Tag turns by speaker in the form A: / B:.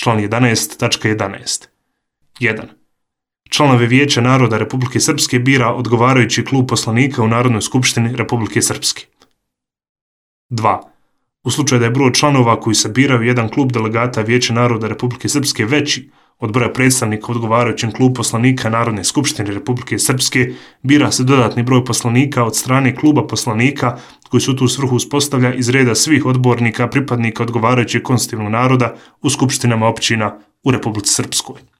A: Član 11.11. 1. Članove Vijeća naroda Republike Srpske bira odgovarajući klub poslanika u Narodnoj skupštini Republike Srpske. 2. U slučaju da je broj članova koji se biraju jedan klub delegata Vijeća naroda Republike Srpske veći od broja predstavnika u odgovarajućem klubu poslanika Narodne skupštine Republike Srpske, bira se dodatni broj poslanika od strane kluba poslanika koji se u tu svrhu uspostavlja iz reda svih odbornika pripadnika odgovarajućeg konstitutivnog naroda u skupštinama općina u Republici Srpskoj.